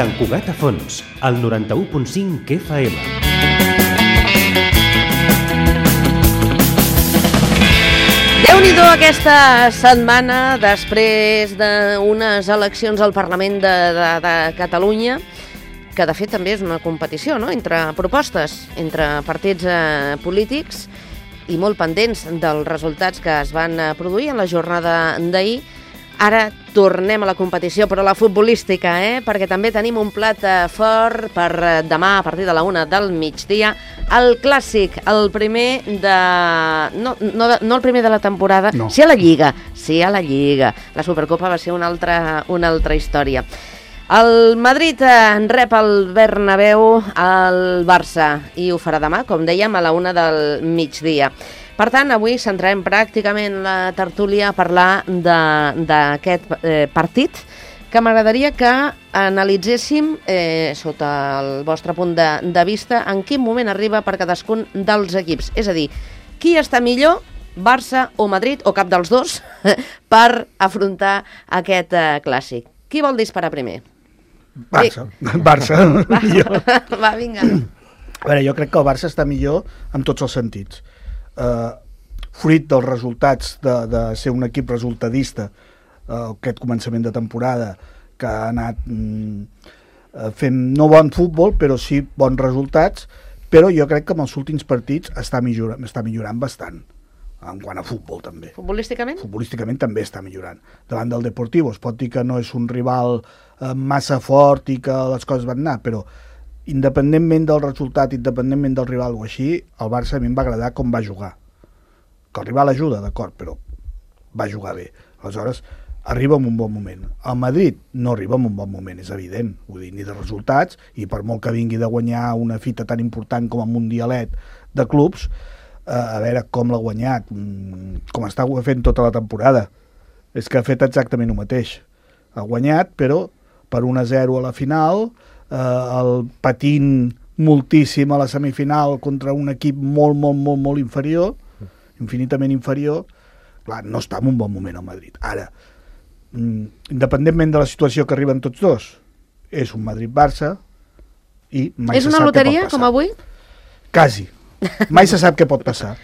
Sant Cugat a Fons, al 91.5 FM. Déu-n'hi-do aquesta setmana després d'unes eleccions al Parlament de Catalunya, que de fet també és una competició, no?, entre propostes, entre partits polítics, i molt pendents dels resultats que es van produir en la jornada d'ahir. Ara tornem a la competició, però la futbolística, perquè també tenim un plat fort per demà a partir de la 1 del migdia. El clàssic, el primer de... No el primer de la temporada, no. Sí a la Lliga. La Supercopa va ser una altra història. El Madrid rep el Bernabéu al Barça i ho farà demà, com dèiem, a la 1 del migdia. Per tant, avui centrarem pràcticament la tertúlia a parlar d'aquest partit, que m'agradaria que analitzéssim, sota el vostre punt de vista, en quin moment arriba per cadascun dels equips. És a dir, qui està millor, Barça o Madrid, o cap dels dos, per afrontar aquest clàssic. Qui vol disparar primer? Barça. Va, vinga. A veure, jo crec que el Barça està millor en tots els sentits. Fruit dels resultats de ser un equip resultadista, aquest començament de temporada, que ha anat fent no bon futbol, però sí bons resultats, però jo crec que en els últims partits està millorant bastant. En quant a futbol, també. Futbolísticament? Futbolísticament també està millorant. Davant del Deportivo es pot dir que no és un rival massa fort i que les coses van anar, però independentment del resultat, independentment del rival o així, el Barça a mi em va agradar com va jugar. Que el rival ajuda, d'acord, però va jugar bé. Aleshores, arriba en un bon moment. El Madrid no arriba en un bon moment, és evident, vull dir, ni de resultats, i per molt que vingui de guanyar una fita tan important com el Mundialet de clubs, a veure com l'ha guanyat, com està fent tota la temporada. És que ha fet exactament el mateix. Ha guanyat, però per 1-0 a la final, el patint moltíssim a la semifinal contra un equip molt inferior, infinitament inferior. Clar, no està en un bon moment el Madrid. Ara, independentment de la situació que arriben tots dos, és un Madrid-Barça i mai se sap què pot passar. És una loteria, com avui? Quasi. Mai se sap què pot passar.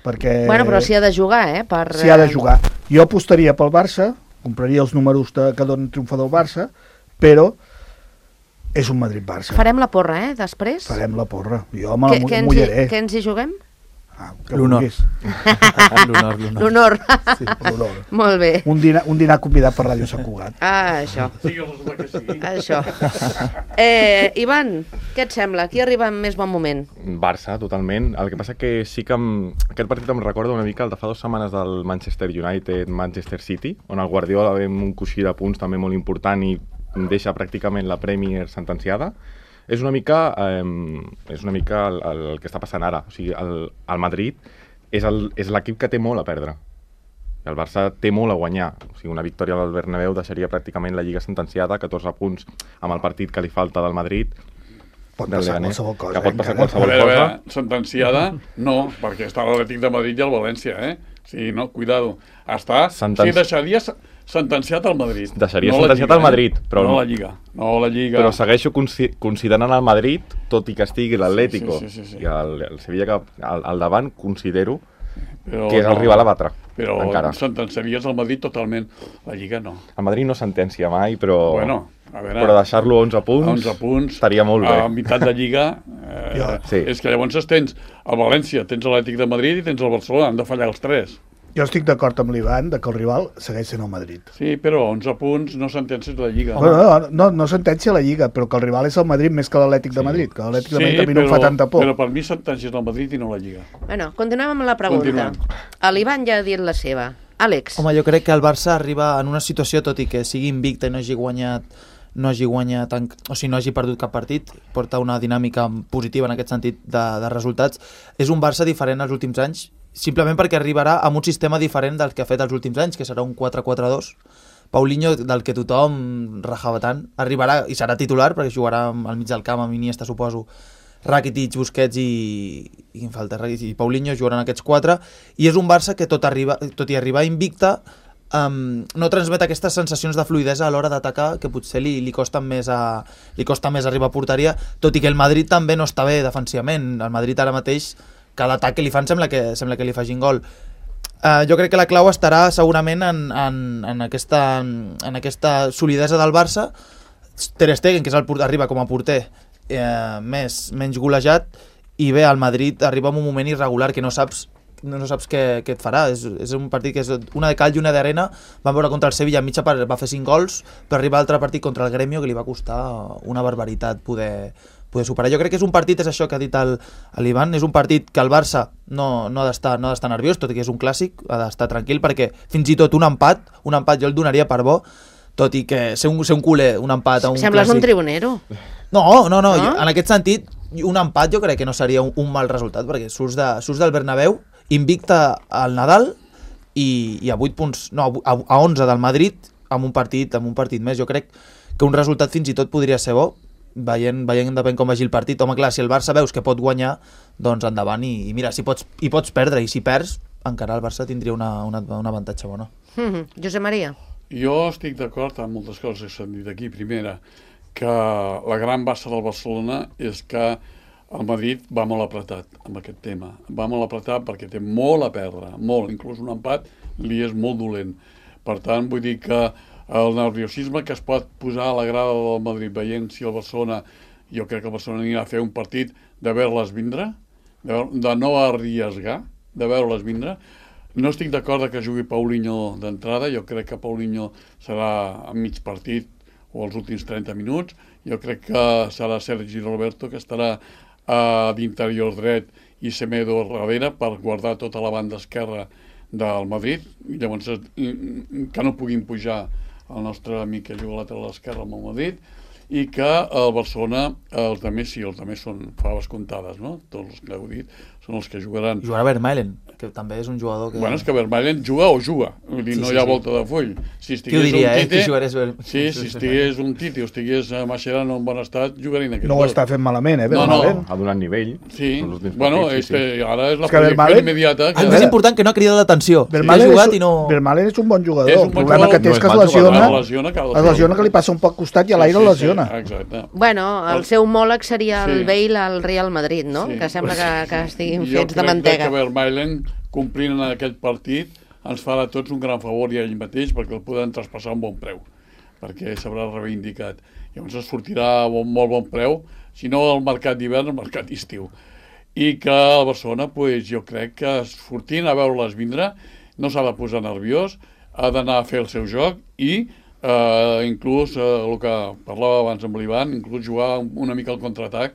Perquè... Bueno, però s'hi ha de jugar, S'hi ha de jugar. Jo apostaria pel Barça, compraria els números que dona triomfador Barça, però és un Madrid-Barça. Farem la porra, després? Farem la porra. Jo me la mullaré. Què ens hi juguem? L'honor. L'honor. Sí, l'honor. Molt bé. Un dinar convidat per Ràdio Sant Cugat. Això. Això. Ivan, què et sembla? Qui arriba en més bon moment? Barça, totalment. El que passa que sí que aquest partit em recorda una mica el de fa 2 setmanes del Manchester United, Manchester City, on el Guardiola ve amb un coixí de punts també molt important i deixa pràcticament la Premier sentenciada. És una mica el que està passant ara. O sigui, el Madrid és l'equip que té molt a perdre. El Barça té molt a guanyar. O sigui, una victòria del Bernabéu deixaria pràcticament la Lliga sentenciada, 14 punts amb el partit que li falta del Madrid. Pot passar qualsevol cosa. Que pot passar qualsevol cosa. Sentenciada, no, perquè està l'Atlètic de Madrid i el València, Sí, no, cuidado. Deixaria sentenciat al Madrid. Deixaria sentenciat al Madrid, però no la Lliga. No la Lliga. Però segueixo considerant el Madrid, tot i que estigui l'Atlético i el Sevilla que al davant, considero que és el rival a batre. Però sentenciaries al Madrid totalment. La Lliga no. El Madrid no sentencia mai, però... Bueno, a veure, però deixar-lo 11 punts estaria molt bé. A meitat de Lliga és que llavors tens el València, tens l'Atlètic de Madrid i tens el Barcelona, han de fallar els 3. Jo estic d'acord amb l'Ivan que el rival segueix sent el Madrid. Sí, però 11 punts no sentencias la Lliga. No sentencia la Lliga, però que el rival és el Madrid més que l'Atlètic de Madrid, que l'Atlètic de Madrid també no fa tanta por. Però per mi sentencias el Madrid i no la Lliga. Bueno, continuem amb la pregunta. L'Ivan ja ha dit la seva. Àlex. Home, jo crec que el Barça arriba en una situació, tot i que sigui invicta i no hagi guanyat, o sigui, no hagi perdut cap partit, porta una dinàmica positiva en aquest sentit de resultats. És un Barça diferent als últims anys, simplement perquè arribarà amb un sistema diferent del que ha fet els últims anys, que serà un 4-4-2. Paulinho, del que tothom rajava tant, arribarà i serà titular, perquè jugarà al mig del camp amb Iniesta, suposo, Rakitic, Busquets i Paulinho jugaran aquests 4, i és un Barça que tot i arribar invicta no transmet aquestes sensacions de fluidesa a l'hora d'atacar que potser li costa més arribar a porteria, tot i que el Madrid també no està bé defensivament. El Madrid ara mateix, cada atac que li fan sembla que li facin gol. Jo crec que la clau estarà segurament en aquesta solidesa del Barça. Ter Stegen, que arriba com a porter menys golejat, i bé, el Madrid arriba en un moment irregular que no saps què et farà. És un partit que és una de cal i una d'arena. Vam veure contra el Sevilla, mitja part va fer 5 gols, per arribar a l'altre partit contra el Gremio, que li va costar una barbaritat poder superar. Jo crec que és un partit, és això que ha dit l'Ivan, és un partit que el Barça no ha d'estar nerviós, tot i que és un clàssic, ha d'estar tranquil, perquè fins i tot un empat jo el donaria per bo, tot i que ser un culer, un empat a un Sembles clàssic... un tribunero. No, en aquest sentit, un empat jo crec que no seria un mal resultat, perquè surts del Bernabéu, invicta al Nadal i a 8 punts, no, a 11 del Madrid amb un partit més. Jo crec que un resultat fins i tot podria ser bo, veient depèn com vagi el partit. Home, clar, si el Barça veus que pot guanyar, doncs endavant, i mira, si pots perdre, i si perds, encara el Barça tindria un avantatge bo, no? Josep Maria. Jo estic d'acord amb moltes coses que s'han dit aquí. Primera, que la gran bassa del Barcelona és que el Madrid va molt apretat amb aquest tema. Va molt apretat perquè té molt a perdre, molt. Inclús un empat li és molt dolent. Per tant, vull dir que el nerviosisme que es pot posar a la grada del Madrid veient si el Barcelona, jo crec que el Barcelona anirà a fer un partit de veure-les vindre, de no arriesgar, de veure-les vindre. No estic d'acord que jugui Paulinho d'entrada. Jo crec que Paulinho serà a mig partit o als últims 30 minuts. Jo crec que serà Sergi Roberto, que estarà d'interior dret, i Semedo darrere per guardar tota la banda esquerra del Madrid. Llavors, que no puguin pujar el nostre amic que juga a la lateral esquerra amb el Madrid, i que el Barcelona, els altres sí, els altres són faves comptades, no? Tots els que heu dit són els que jugaran. Jugarà Vermaelen, que també és un jugador que... Bueno, és que Vermaelen juga o juga, vull dir, no hi ha volta de full. Si qui ho diria, Tite, que jugarés... Sí, si estigués un Tite o estigués Mascherano en bon estat, jugarien aquest No ho està fent malament, Vermaelen. Ha donat nivell. Sí, bueno, ara és la projecció immediata. El més important que no ha cridat l'atenció. Vermaelen és un bon jugador. El problema que té és que es lesiona, que li passa un poc costat i a l'aire lesiona. Exacte. Bueno, el seu homòleg seria el Bale al Real Madrid, no? Que sembla que estiguin fets de mantega. Jo crec que Vermaelen, complint en aquest partit, ens farà a tots un gran favor i a ell mateix, perquè el poden traspassar a un bon preu, perquè s'haurà reivindicat. Llavors es sortirà a molt bon preu, si no el mercat d'hivern, el mercat d'estiu. I que a Barcelona, jo crec que sortint a veure-les vindre, no s'ha de posar nerviós, ha d'anar a fer el seu joc i inclús el que parlava abans amb l'Ivan, inclús jugar una mica al contraatac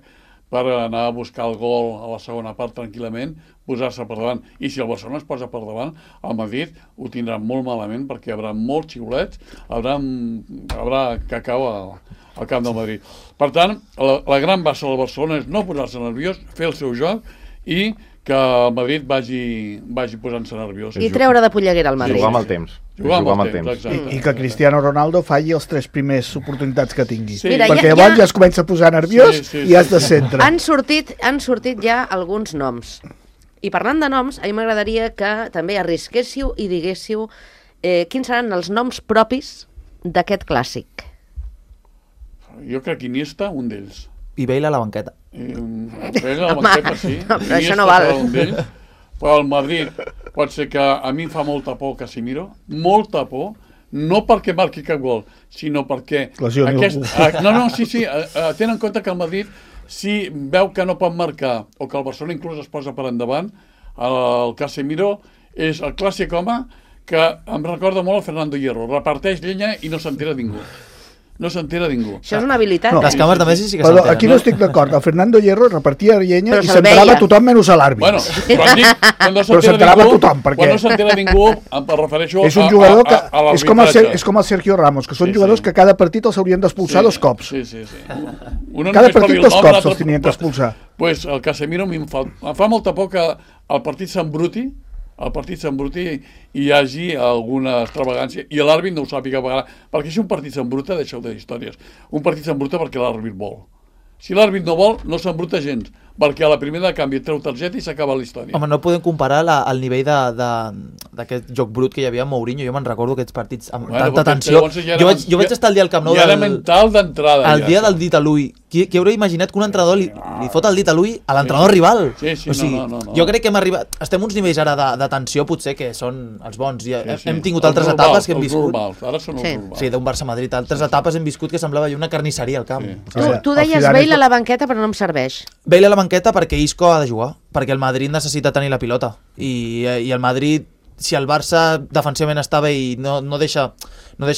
per anar a buscar el gol a la segona part tranquil·lament, posar-se per davant. I si el Barcelona es posa per davant, el Madrid ho tindrà molt malament, perquè hi haurà molts xiulets, haurà cacau al camp del Madrid. Per tant, la gran bassa del Barcelona és no posar-se nerviós, fer el seu joc i que el Madrid vagi posant-se nerviós. I treure de polleguera al Madrid. Jugar amb el temps. Jugar amb el temps, exacte. I que Cristiano Ronaldo falli els 3 primers oportunitats que tingui. Sí. Mira, perquè llavors ja es comença a posar nerviós i has de centre. Han sortit ja alguns noms. I parlant de noms, a mi m'agradaria que també arrisquéssiu i diguéssiu quins seran els noms propis d'aquest clàssic. Jo crec que Iniesta, un d'ells. I Bale a la banqueta. Bale a la banqueta, sí. No, però això no val. Però el Madrid pot ser que a mi em fa molta por Casemiro, molta por, no perquè marqui cap gol, sinó perquè... Tenen en compte que el Madrid, si veu que no pot marcar, o que el Barcelona inclús es posa per endavant, el Casemiro és el clàssic home que em recorda molt el Fernando Hierro, reparteix llenya i no s'entera ningú. No s'entera ningú. Això és una habilitat. No. Les cames de Messi sí que Però s'entenen. aquí no estic d'acord. El Fernando Hierro repartia llenya Però i se'l s'enterava veia. tothom menys a l'àrbit. Bueno, quan no s'enterava tothom, perquè... Quan no s'entera ningú, em refereixo és un jugador que a és com el Sergio Ramos, que són jugadors que cada partit els haurien d'expulsar 2 cops. Sí. Cada partit 2 cops els tenien d'expulsar. Pues el Casemiro em fa molta por que el partit s'embruti, i hi hagi alguna extravagància i l'àrbit no ho sàpiga pagar, perquè si un partit s'embruta, deixeu de històries, un partit s'embruta perquè l'àrbit vol. Si l'àrbit no vol, no s'embruta gens, perquè a la primera de canvi treu targeta i s'acaba la història. Home, no podem comparar el nivell d'aquest joc brut que hi havia amb Mourinho. Jo me'n recordo aquests partits amb tanta tensió. Jo vaig estar el dia al Camp Nou ja era mental d'entrada. El dia del dit a l'ull. Qui hauria imaginat que un entrenador li fot el dit a l'ull a l'entrenador rival? Sí, o sigui, no. Jo crec que hem arribat... Estem uns nivells ara de tensió, potser, que són els bons. Hem tingut altres etapes que hem viscut. Ara són els normals. Sí, d'un Barça-Madrid. Altres etapes hem viscut que semblava una carnisseria al camp. Tu deies Bale a la banqueta, però no em serveix. Bale a la banqueta perquè Isco ha de jugar, perquè el Madrid necessita tenir la pilota i el Madrid, si el Barça defensivament està bé i no deixa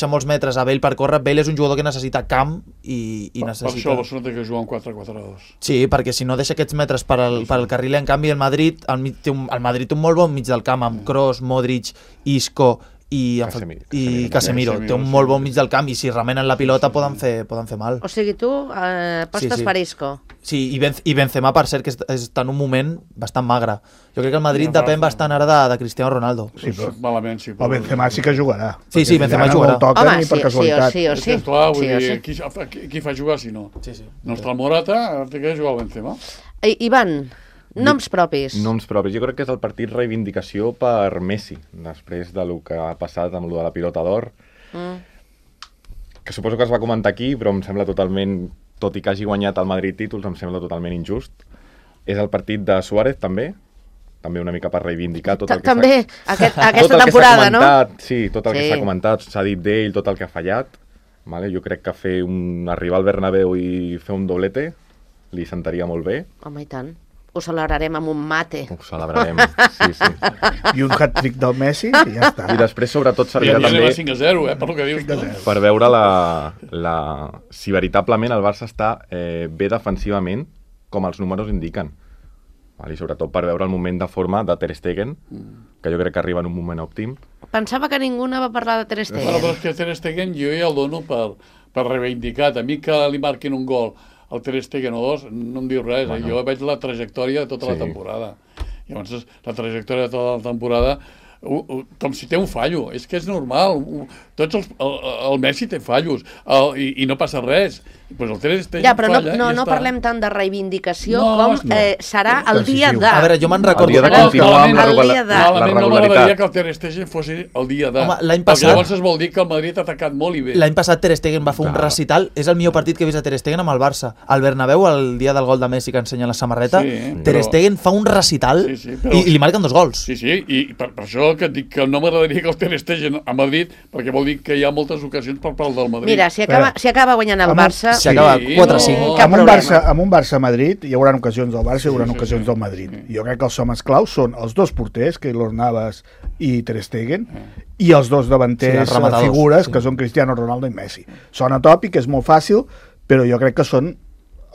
molts metres a Bale per córrer, Bale és un jugador que necessita camp i necessita... Per això el Barcelona té que jugar en 4-4-2. Sí, perquè si no deixa aquests metres per al carril, en canvi el Madrid té un molt bon mig del camp amb Kroos, Modric, Isco i Casemiro. Té un molt bon mig del camp i si remenen la pilota poden fer mal. O sigui, tu apostes per Isco. Sí, i Benzema, per cert, que està en un moment bastant magre. Jo crec que el Madrid depèn bastant ara de Cristiano Ronaldo. Sí, però malament, sí. el Benzema sí que jugarà. Sí, Benzema jugarà. No el toquen ni per casualitat. Sí o sí. Clar, vull dir, qui fa jugar si no? Sí. No està el Morata, té que jugar el Benzema. Ivan, noms propis. Noms propis. Jo crec que és el partit reivindicació per Messi, després de lo que ha passat amb lo de la pilota d'or, que suposo que es va comentar aquí, però em sembla totalment, tot i que hagi guanyat el Madrid títols, em sembla totalment injust. És el partit de Suárez, també una mica per reivindicar tot el que també aquesta temporada, no? Sí, tot el que s'ha comentat, s'ha dit d'ell, tot el que ha fallat. Vale? Jo crec que arribar al Bernabéu i fer un doblete li sentaria molt bé. Home, i tant. Ho celebrarem amb un mate. Ho celebrarem, sí. I un hat-trick del Messi i ja està. I després, sobretot, servirà també... 5-0, per lo que dius. Per veure si veritablement el Barça està bé defensivament, com els números indiquen. I sobretot per veure el moment de forma de Ter Stegen, que jo crec que arriba en un moment òptim. Pensava que ningú no va parlar de Ter Stegen. Però és que Ter Stegen jo ja el dono per reivindicat. A mi que li marquin un gol el Ter Stegen o dos, no em diu res. Bueno. Jo veig la trajectòria de tota la temporada. Llavors, la trajectòria de tota la temporada, com si té un fallo. És que és normal. El Messi té fallos i no passa res. Pues el Ter Stegen ja, però falla, no parlem tant de reivindicació com serà el dia de... A veure, jo me'n recordo... El dia de continuar amb la regularitat. No m'agradaria que el Ter Stegen fos el dia de... Home, l'any passat... Perquè llavors es vol dir que el Madrid ha atacat molt i bé. L'any passat Ter Stegen va fer un recital. És el millor partit que he vist a Ter Stegen amb el Barça. Al Bernabéu, el dia del gol de Messi que ensenya la samarreta, Ter Stegen fa un recital i li marquen 2 gols. Sí, i per això que dic que no m'agradaria que el Ter Stegen a Madrid, perquè vol dir que hi ha moltes ocasions per part del Madrid. Mira, si acaba guanyant el Barça... Si acaba 4-5. Amb un Barça-Madrid hi haurà ocasions del Barça i hi haurà ocasions del Madrid. Jo crec que els homes claus són els dos porters, Keylor Navas i Ter Stegen, i els dos davanters figures, que són Cristiano Ronaldo i Messi. Sona tòpic, és molt fàcil, però jo crec que són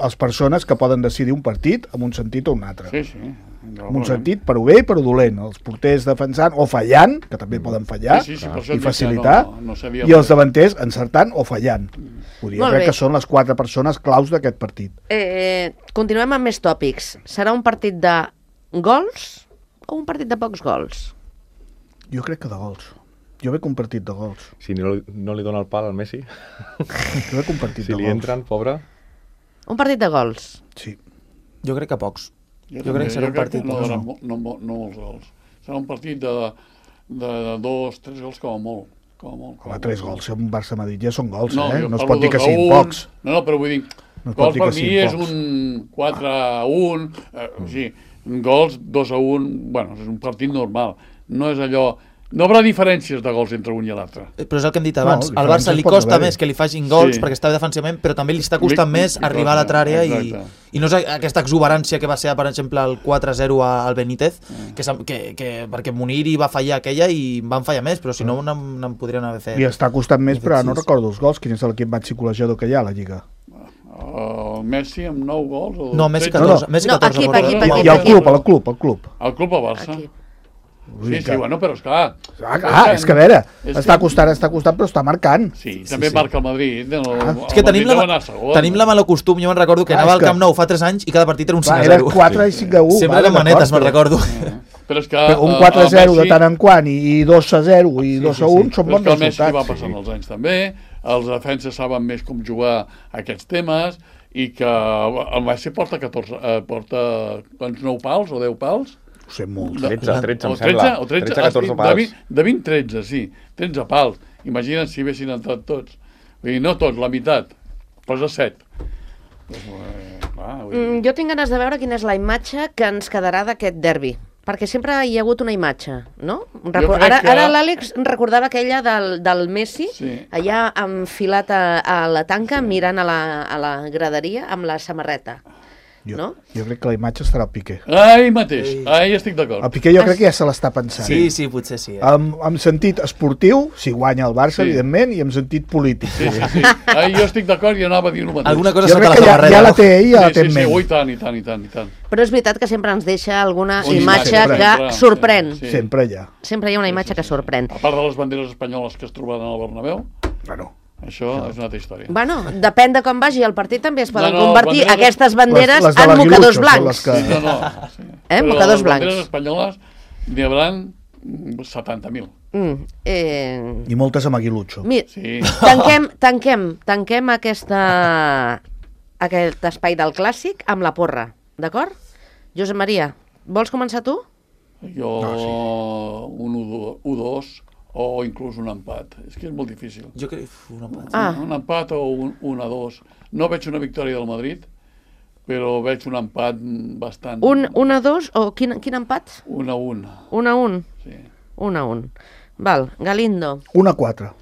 les persones que poden decidir un partit en un sentit o un altre. Sí. En un sentit, per bé i per dolent. Els porters defensant o fallant, que també poden fallar i facilitar, i els davanters encertant o fallant. Jo crec que són les 4 persones claus d'aquest partit. Continuem amb més tòpics. Serà un partit de gols o un partit de pocs gols? Jo crec que de gols. Jo veig un partit de gols. Si no li dona el pal al Messi? Jo veig un partit de gols. Si li entren, pobre... Un partit de gols? Sí. Jo crec que pocs. Jo crec que serà un partit de gols. No molts gols. Serà un partit de 2-3 gols com a molt. Home, 3 gols, si un Barça-Madrid ja són gols, no es pot dir que siguin pocs. No, però vull dir, gols per mi és un 4-1, gols 2-1, bueno, és un partit normal. No és allò... No haurà diferències de gols entre un i l'altre. Però és el que hem dit abans. Al Barça li costa més que li facin gols perquè està bé defensivament, però també li està costant més arribar a l'altra àrea i no és aquesta exuberància que va ser, per exemple, el 4-0 al Benítez, perquè Munir va fallar aquella i van fallar més, però si no n'en podrien haver fet. I està costant més, però no recordo els gols. Quin és l'equip més xicolejador que hi ha a la Lliga? El Messi amb 9 gols? No, Messi 14. I el club? El club al Barça. Sí, bueno, però esclar... és que a veure, està costant, però està marcant. Sí, també marca el Madrid. És que tenim la mala costum, jo me'n recordo que anava al Camp Nou fa 3 anys i cada partit era un 5-0. Era 4 i 5-1. Sempre eren manetes, me'n recordo. Però és que un 4-0 de tant en quant i 2-0 i 2-1 són bons resultats. Però és que el Messi va passant els anys també, els defenses saben més com jugar aquests temes i que el Messi porta 9 pals o 10 pals. Ho sé, molt. 13 em sembla. 13, 14 pals. De 20, 13, sí. 13 pals. Imagina't si haguessin entrat tots. Vull dir, no tots, la meitat. Posa 7. Jo tinc ganes de veure quina és la imatge que ens quedarà d'aquest derbi. Perquè sempre hi ha hagut una imatge, no? Ara l'Àlex recordava aquella del Messi, allà enfilat a la tanca, mirant a la graderia amb la samarreta. Jo crec que la imatge estarà al Piqué. Mateix, estic d'acord. El Piqué jo crec que ja se l'està pensant. Sí, potser sí. En sentit esportiu, si guanya el Barça, evidentment, i en sentit polític. Sí. Jo estic d'acord i anava a dir el mateix. Alguna cosa jo crec que ja la té ell, ja la té en ment. I tant. Però és veritat que sempre ens deixa alguna imatge que sorprèn. Sempre hi ha. Sempre hi ha una imatge que sorprèn. A part de les banderes espanyoles que es trobaran al Bernabéu, Bueno, això és una altra història. Bueno, depèn de com vagi el partit, també es poden convertir aquestes banderes les de en l'Aguilucho mocadors són blancs. les que- Sí. Mocadors Però les blancs. banderes espanyoles n'hi haurà 70.000. I moltes amb aguilucho. Mira, Sí. tanquem aquest espai del clàssic amb la porra, d'acord? Josep Maria, vols començar tu? Jo un 1-2 o inclús un empat. És que és molt difícil. Jo crec un empat. Un empat o un 1-2. No veig una victòria del Madrid, però veig un empat bastant... 1-2 o quin empat? 1-1. 1-1? Sí. 1-1. Val, Galindo. 1-4.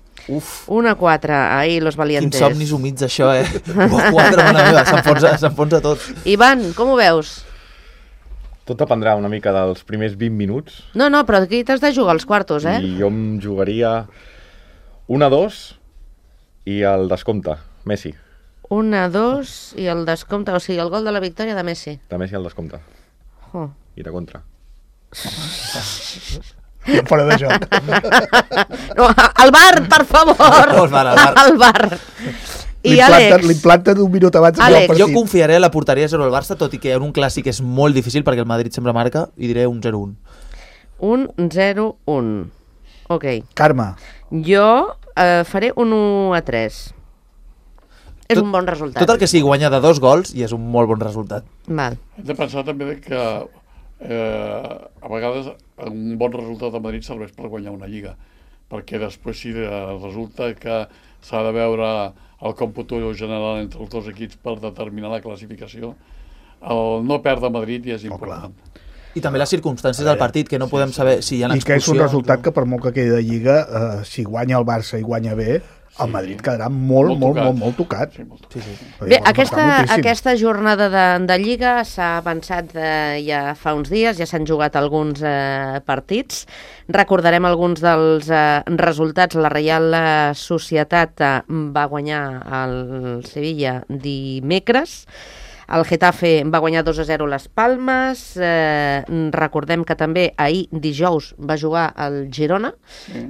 1-4, ahí los valientes. Quins somnis humits això, 1-4, mare meva, s'enfonsa tot. Ivan, com ho veus? Tot dependrà una mica dels primers 20 minuts. No, però aquí t'has de jugar als quartos, I jo em jugaria 1-2 i el descompte, Messi. 1-2 i el descompte, o sigui, el gol de la victòria de Messi. De Messi al descompte. Oh. I de contra. Fora de joc. No, al bar, per favor! Al bar. I Àlex? L'implanten un minut abans del Àlex, partit. Jo confiaré a la porteria 0 al Barça, tot i que en un clàssic és molt difícil perquè el Madrid sempre marca, i diré un 0-1. Un 0-1. Ok. Carme. Jo faré un 1-3. És un bon resultat. Tot el que sigui guanyar de 2 gols i és un molt bon resultat. Val. Hem de pensar també que a vegades un bon resultat de Madrid serveix per guanyar una lliga, perquè després si resulta que s'ha de veure el còmput general entre els dos equips per determinar la classificació, el no perdre Madrid ja és important. I també les circumstàncies del partit, que no podem saber si hi ha I que és un expulsions resultat que per molt que quedi de Lliga, si guanya el Barça i guanya bé, el Madrid quedarà molt tocat. Sí. Bé, aquesta jornada de Lliga s'ha avançat ja fa uns dies, ja s'han jugat alguns partits. Recordarem alguns dels resultats. La Reial Societat va guanyar el Sevilla dimecres. El Getafe va guanyar 2-0 les Palmes. Recordem que també ahir, dijous, va jugar el Girona,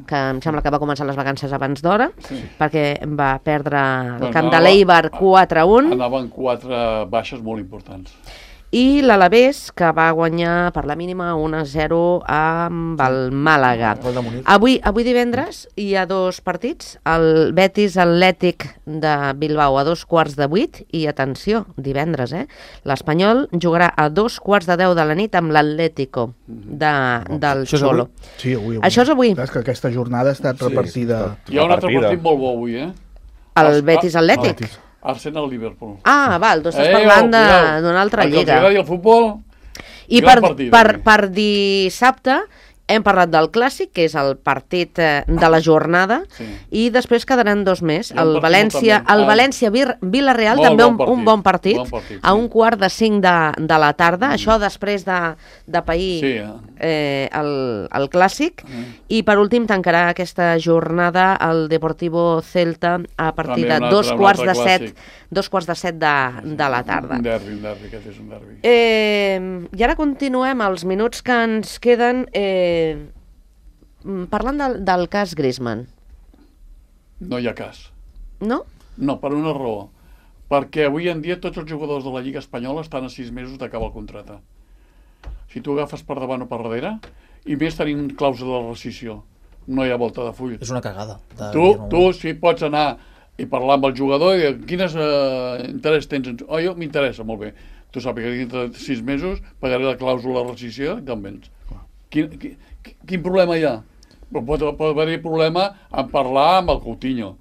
que em sembla que va començar les vacances abans d'hora, perquè va perdre el camp de l'Eibar 4-1. Anaven 4 baixes molt importants. I l'Alavés, que va guanyar per la mínima 1-0 amb el Màlaga. Avui divendres hi ha 2 partits, el Betis Atlètic de Bilbao a 2:15 i atenció, divendres, l'Espanyol jugarà a 2:10 de la nit amb l'Atlético del Xolo. Sí, avui. Això és avui. És que aquesta jornada ha estat repartida. Hi ha un altre partit molt bo avui, El Betis Atlètic. Arsenal-Liverpool. Val, tu estàs parlant d'una altra lliga. El que agradi el futbol, i per dissabte hem parlat del Clàssic, que és el partit de la jornada, i després quedaran 2 més. El València-Vilareal, també un bon partit, a 4:45 de la tarda, això després de pair el Clàssic, i per últim tancarà aquesta jornada el Deportivo Celta a partir de 2:15 de la tarda. Un derbi, aquest és un derbi. I ara continuem els minuts que ens queden parlant del cas Griezmann. No hi ha cas. No? No, per una raó. Perquè avui en dia tots els jugadors de la Lliga Espanyola estan a 6 mesos d'acabar el contracte. Si tu agafes per davant o per darrere, i més tenint clàusula de rescissió, no hi ha volta de full. És una cagada. Tu sí pots anar i parlar amb el jugador i dir, quines interès tens? Jo m'interessa, molt bé. Tu saps que dintre de 6 mesos pagaré la clàusula de rescissió i te'n vens. Quin problema hi ha? Pot haver-hi problema en parlar amb el Coutinho,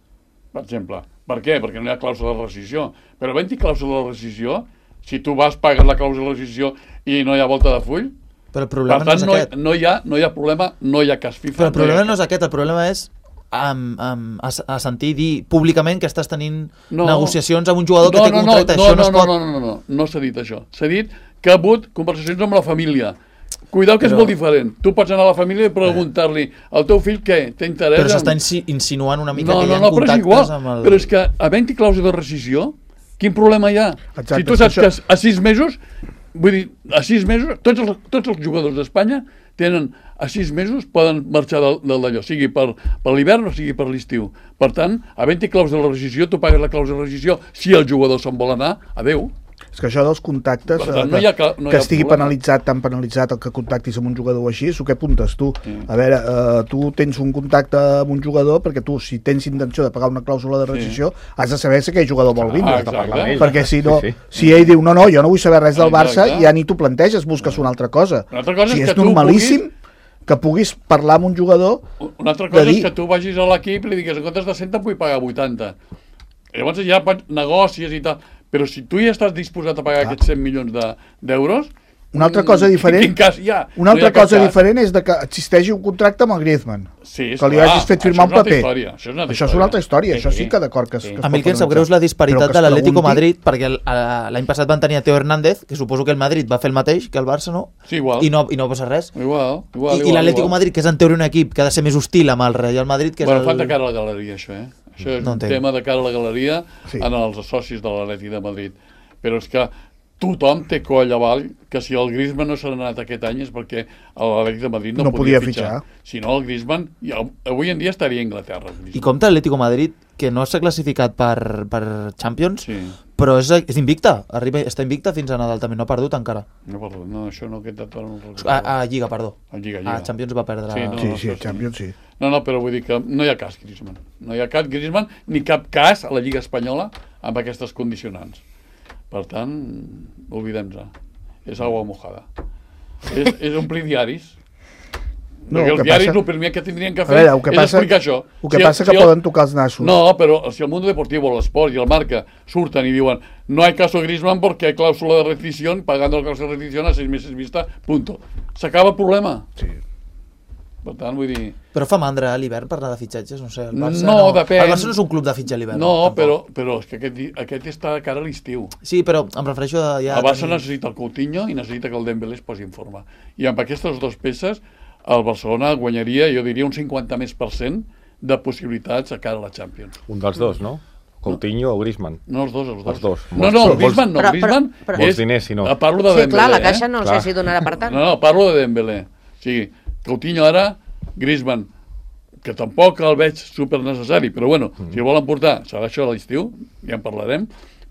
per exemple. Per què? Perquè no hi ha clàusula de rescissió. Però havent-hi clàusula de rescissió, si tu vas, pagues la clàusula de rescissió i no hi ha volta de full, Però el problema per tant, no és aquest. no hi ha problema, no hi ha cas FIFA. Però el problema no és aquest, el problema és a sentir dir públicament que estàs tenint negociacions amb un jugador que té contracte. Això no es pot... No s'ha dit això. S'ha dit que ha hagut conversacions amb la família. Cuidao que és molt diferent. Tu pots anar a la família i preguntar-li al teu fill què? Té interès? Però s'està insinuant una mica que hi ha contactes amb el... Però és que havent-hi clàusula de rescissió, quin problema hi ha? Exacte, Si tu saps que a 6 mesos, vull dir, a 6 mesos, tots els jugadors d'Espanya tenen a 6 mesos poden marxar d'allò, sigui per l'hivern o sigui per l'estiu. Per tant, havent-hi clàusula de rescissió, tu pagues la clàusula de rescissió. Si el jugador se'n vol anar, adeu. És que això dels contactes, tant, que estigui penalitzat, tan penalitzat el que contactis amb un jugador així, és el que apuntes tu. A veure, tu tens un contacte amb un jugador perquè tu, si tens intenció de pagar una clàusula de rescissió, has de saber si aquell jugador vol vindre. Perquè si no, si ell diu, no, jo no vull saber res del Barça, ja ni tu planteges, busques una altra cosa. Si és normalíssim que puguis parlar amb un jugador... Una altra cosa és que tu vagis a l'equip i li digues, en comptes de 100 vull pagar 80. Llavors ja negocies i tal. Però si tu ja estàs disposat a pagar aquests 100 milions d'euros... Una altra cosa diferent, quin cas hi ha? Una altra cosa diferent és que existeixi un contracte amb el Griezmann, que li hagis fet firmar un paper. Això és una altra història, això sí que d'acord que es a mi el que em sap greu és la disparitat de l'Atlético Madrid, perquè l'any passat van tenir a Teo Hernández, que suposo que el Madrid va fer el mateix que el Barça, no? Sí, igual. I no passa res. Igual. I l'Atlético Madrid, que és en teoria un equip que ha de ser més hostil amb el Real Madrid, que és Bueno, fan de cara a la galeria, això, Això és un tema de cara a la galeria en els socis de l'Atlètic de Madrid. Però és que tothom té coll avall que si el Griezmann no s'ha anat aquest any és perquè l'Atlètic de Madrid no podia fitxar. Si no, el Griezmann avui en dia estaria a Anglaterra. I compta l'Atlético Madrid, que no s'ha classificat per Champions, però és invicta, està invicta fins a Nadal també, no ha perdut encara. No ha perdut, això no ha quedat... A Lliga, perdó. A Lliga. A Champions va perdre... Sí, a Champions sí. No, però vull dir que no hi ha cas Griezmann. No hi ha cap Griezmann ni cap cas a la Lliga Espanyola amb aquestes condicionants. Per tant, oblidem-se. És aigua mojada. És omplir diaris. No, perquè els diaris el primer que tindrien que fer és explicar això. El que passa que poden tocar els nassos. No, però si el Mundo Deportivo, l'Esport i el Marca surten i diuen no hay caso Griezmann porque hay cláusula de rescisión, pagando la cláusula de rescisión a 6 meses vista, punto. S'acaba el problema. Sí. Per tant, vull dir... Però fa mandra a l'hivern parlar de fitxatges, no sé, el Barça depèn. El Barça no és un club de fitxa a l'hivern. No, però és que aquest està de cara a l'estiu. Sí, però em refereixo a... El Barça necessita el Coutinho i necessita que el Dembélé es posi en forma. I amb aquestes dues peces el Barcelona guanyaria, jo diria, un 50% de possibilitats a cara a la Champions. Un dels dos, no? Coutinho o Griezmann? No, els dos. No, Griezmann no. Griezmann vols diners, si no. Parlo de Dembélé. Sí, clar, la caixa no sé si donarà per tant. No, parlo de Dembélé. O sigui, Coutinho ara, Griezmann, que tampoc el veig super necessari, però bueno, si el volen portar, serà això a l'estiu, ja en parlarem,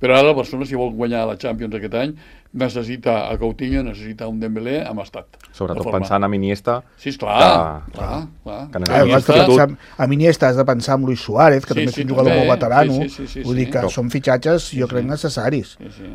però ara el Barcelona, si vol guanyar la Champions aquest any, necessita a Coutinho, necessita un Dembélé amb estat. Sobretot pensant en Iniesta. Sí, clar. A Iniesta has de pensar en Luis Suárez, que també és un jugador molt veterano. Vull dir que són fitxatges, jo crec, necessaris.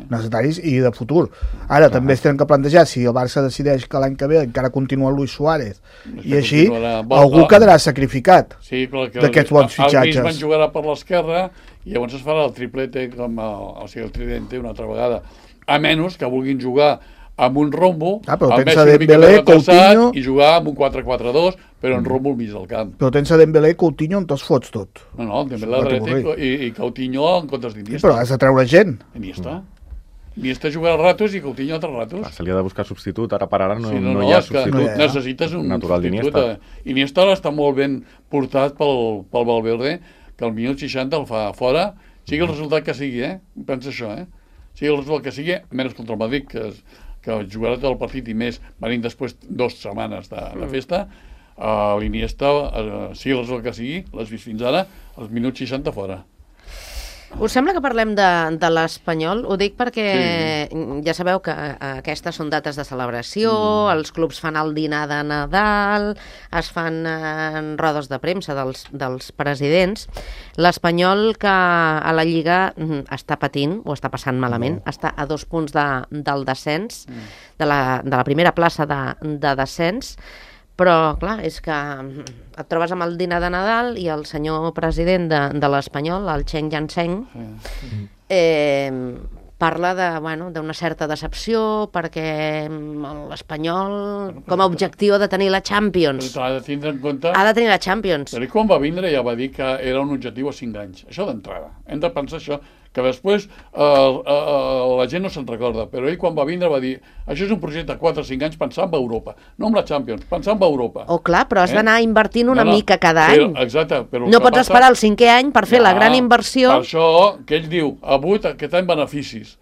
Necessaris i de futur. Ara també es tenen que plantejar, si el Barça decideix que l'any que ve encara continua Luis Suárez, i així algú quedarà sacrificat d'aquests bons fitxatges. El Griezmann jugarà per l'esquerra i llavors es farà el triplete, o sigui, el tridente una altra vegada. A menys que vulguin jugar amb un rombo, amb Messi una mica retrasat i jugar amb un 4-4-2, però en rombo al mig del camp. Però tens a Dembélé i Coutinho on te'ls fots tot. No, Dembélé a dreta i Coutinho en comptes d'Iniesta. Però has de treure gent. Iniesta jugarà ratos i Coutinho altres ratos. Se li ha de buscar substitut, ara per ara no hi ha substitut. Necessites un substitut. Iniesta ara està molt ben portat pel Valverde, que al minut 60 el fa fora, sigui el resultat que sigui, pensa això, sigui el resultat que sigui, menys contra el Madrid, que jugarà tot el partit i més, venint després 2 setmanes de festa, l'Iniesta, sigui el resultat que sigui, l'has vist fins ara, als minuts 60 fora. Us sembla que parlem de l'Espanyol? Ho dic perquè ja sabeu que aquestes són dates de celebració, els clubs fan el dinar de Nadal, es fan rodes de premsa dels presidents. L'Espanyol, que a la Lliga està patint, o està passant malament, està a 2 punts del descens, de la primera plaça de descens, però, clar, és que et trobes amb el dinar de Nadal i el senyor president de l'Espanyol, el Cheng Yanseng, parla d'una certa decepció perquè l'Espanyol, com a objectiu, ha de tenir la Champions. Però ha de tindre en compte... Ha de tenir la Champions. Però quan va vindre ja va dir que era un objectiu a 5 anys. Això d'entrada. Hem de pensar això, que després la gent no se'n recorda, però ell quan va vindre va dir això és un projecte de 4 o 5 anys pensant en Europa, no en la Champions, pensant en Europa. Oh, clar, però has d'anar invertint una mica cada any. Exacte. Però no pots esperar el 5è any per fer la gran inversió. Per això que ell diu, aquest any beneficis.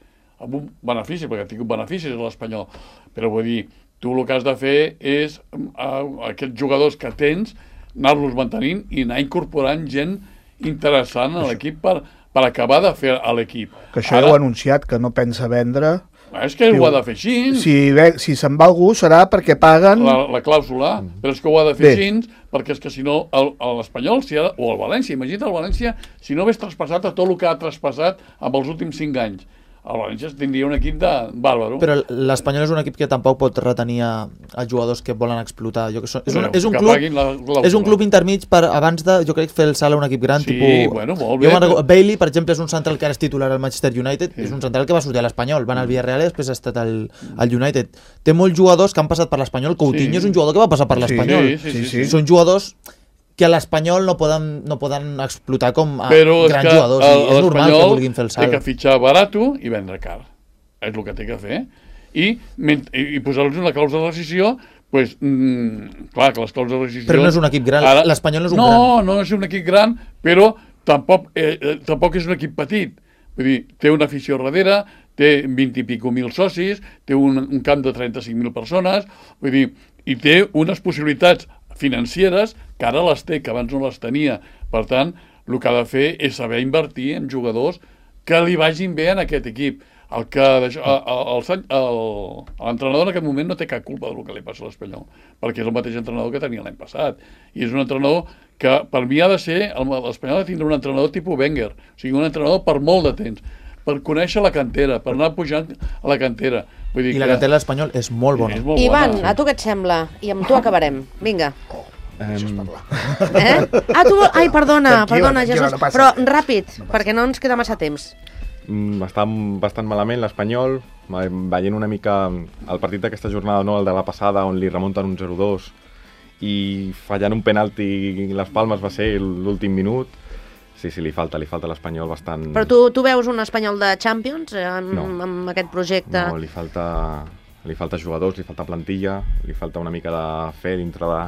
Beneficis, perquè ha tingut beneficis a l'Espanyol. Però vull dir, tu el que has de fer és aquests jugadors que tens, anar-los mantenint i anar incorporant gent interessant a l'equip per acabar de fer a l'equip. Que això ja ho ha anunciat, que no pensa vendre. És que ho ha de fer així. Si se'n va algú serà perquè paguen... La clàusula, però és que ho ha de fer així, perquè és que si no, l'Espanyol, o el València, imagina't el València, si no hagués traspassat a tot el que ha traspassat amb els últims 5 anys. El València tindria un equip de bàrbaro. Però l'Espanyol és un equip que tampoc pot retenir els jugadors que volen explotar. És un club intermig per abans de, jo crec, fer el salt a un equip gran. Molt bé. Bailey, per exemple, és un central que ara és titular al Manchester United, és un central que va sortir a l'Espanyol, va anar al Villarreal i després ha estat al United. Té molts jugadors que han passat per l'Espanyol. Coutinho és un jugador que va passar per l'Espanyol. Són jugadors que a l'Espanyol no poden explotar com a grans jugadors. És normal que vulguin fer el salt. Té que fitxar barato i vendre car. És el que té que fer. I posar-los una clàusula de rescissió, clar, que les clàusules de rescissió... Però no és un equip gran. L'Espanyol no és un gran. No és un equip gran, però tampoc és un equip petit. Vull dir, té una afició darrere, té 20 i pico mil socis, té un camp de 35.000 persones, vull dir, i té unes possibilitats financeres que ara les té, que abans no les tenia. Per tant, el que ha de fer és saber invertir en jugadors que li vagin bé en aquest equip. L'entrenador en aquest moment no té cap culpa del que li passa a l'Espanyol, perquè és el mateix entrenador que tenia l'any passat. I és un entrenador que, per mi, ha de ser... L'Espanyol ha de tindre un entrenador tipus Wenger, o sigui, un entrenador per molt de temps, per conèixer la cantera, per anar pujant a la cantera. Vull dir I la cantera de l'Espanyol és molt bona. Ivan, a tu què et sembla? I amb tu acabarem. Vinga. Ai, perdona, Jesús, però ràpid, perquè no ens queda massa temps. Està bastant malament l'Espanyol, veient una mica el partit d'aquesta jornada, no el de la passada, on li remunten un 0-2 i fallant un penalti i les Palmes va ser l'últim minut. Sí, li falta a l'Espanyol bastant... Però tu veus un Espanyol de Champions amb aquest projecte? No, li falta jugadors, li falta plantilla, li falta una mica de fe dintre de...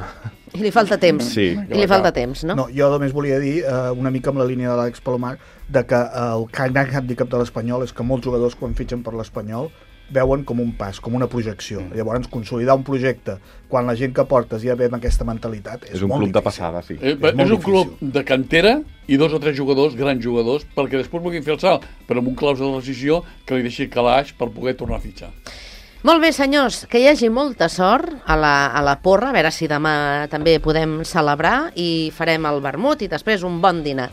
I li falta temps. Sí. I li falta temps, no? No, jo només volia dir, una mica amb la línia de l'Àlex Palomar, de que el gran handicap de l'Espanyol és que molts jugadors, quan fitxen per l'Espanyol, veuen com un pas, com una projecció. Llavors, consolidar un projecte quan la gent que portes ja ve amb aquesta mentalitat és un molt club difícil. de passada, sí. És un club de cantera i 2 o 3 jugadors, grans jugadors, perquè després vulguin fer el salt, però amb un clàusula de rescissió que li deixi calaix per poder tornar a fitxar. Molt bé, senyors, que hi hagi molta sort a la porra, a veure si demà també podem celebrar i farem el vermut i després un bon dinar.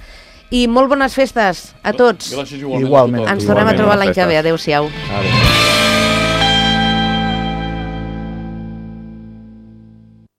I molt bones festes a tots. Gràcies igualment. Ens tornem a trobar l'any que ve. Adéu-siau. Adéu.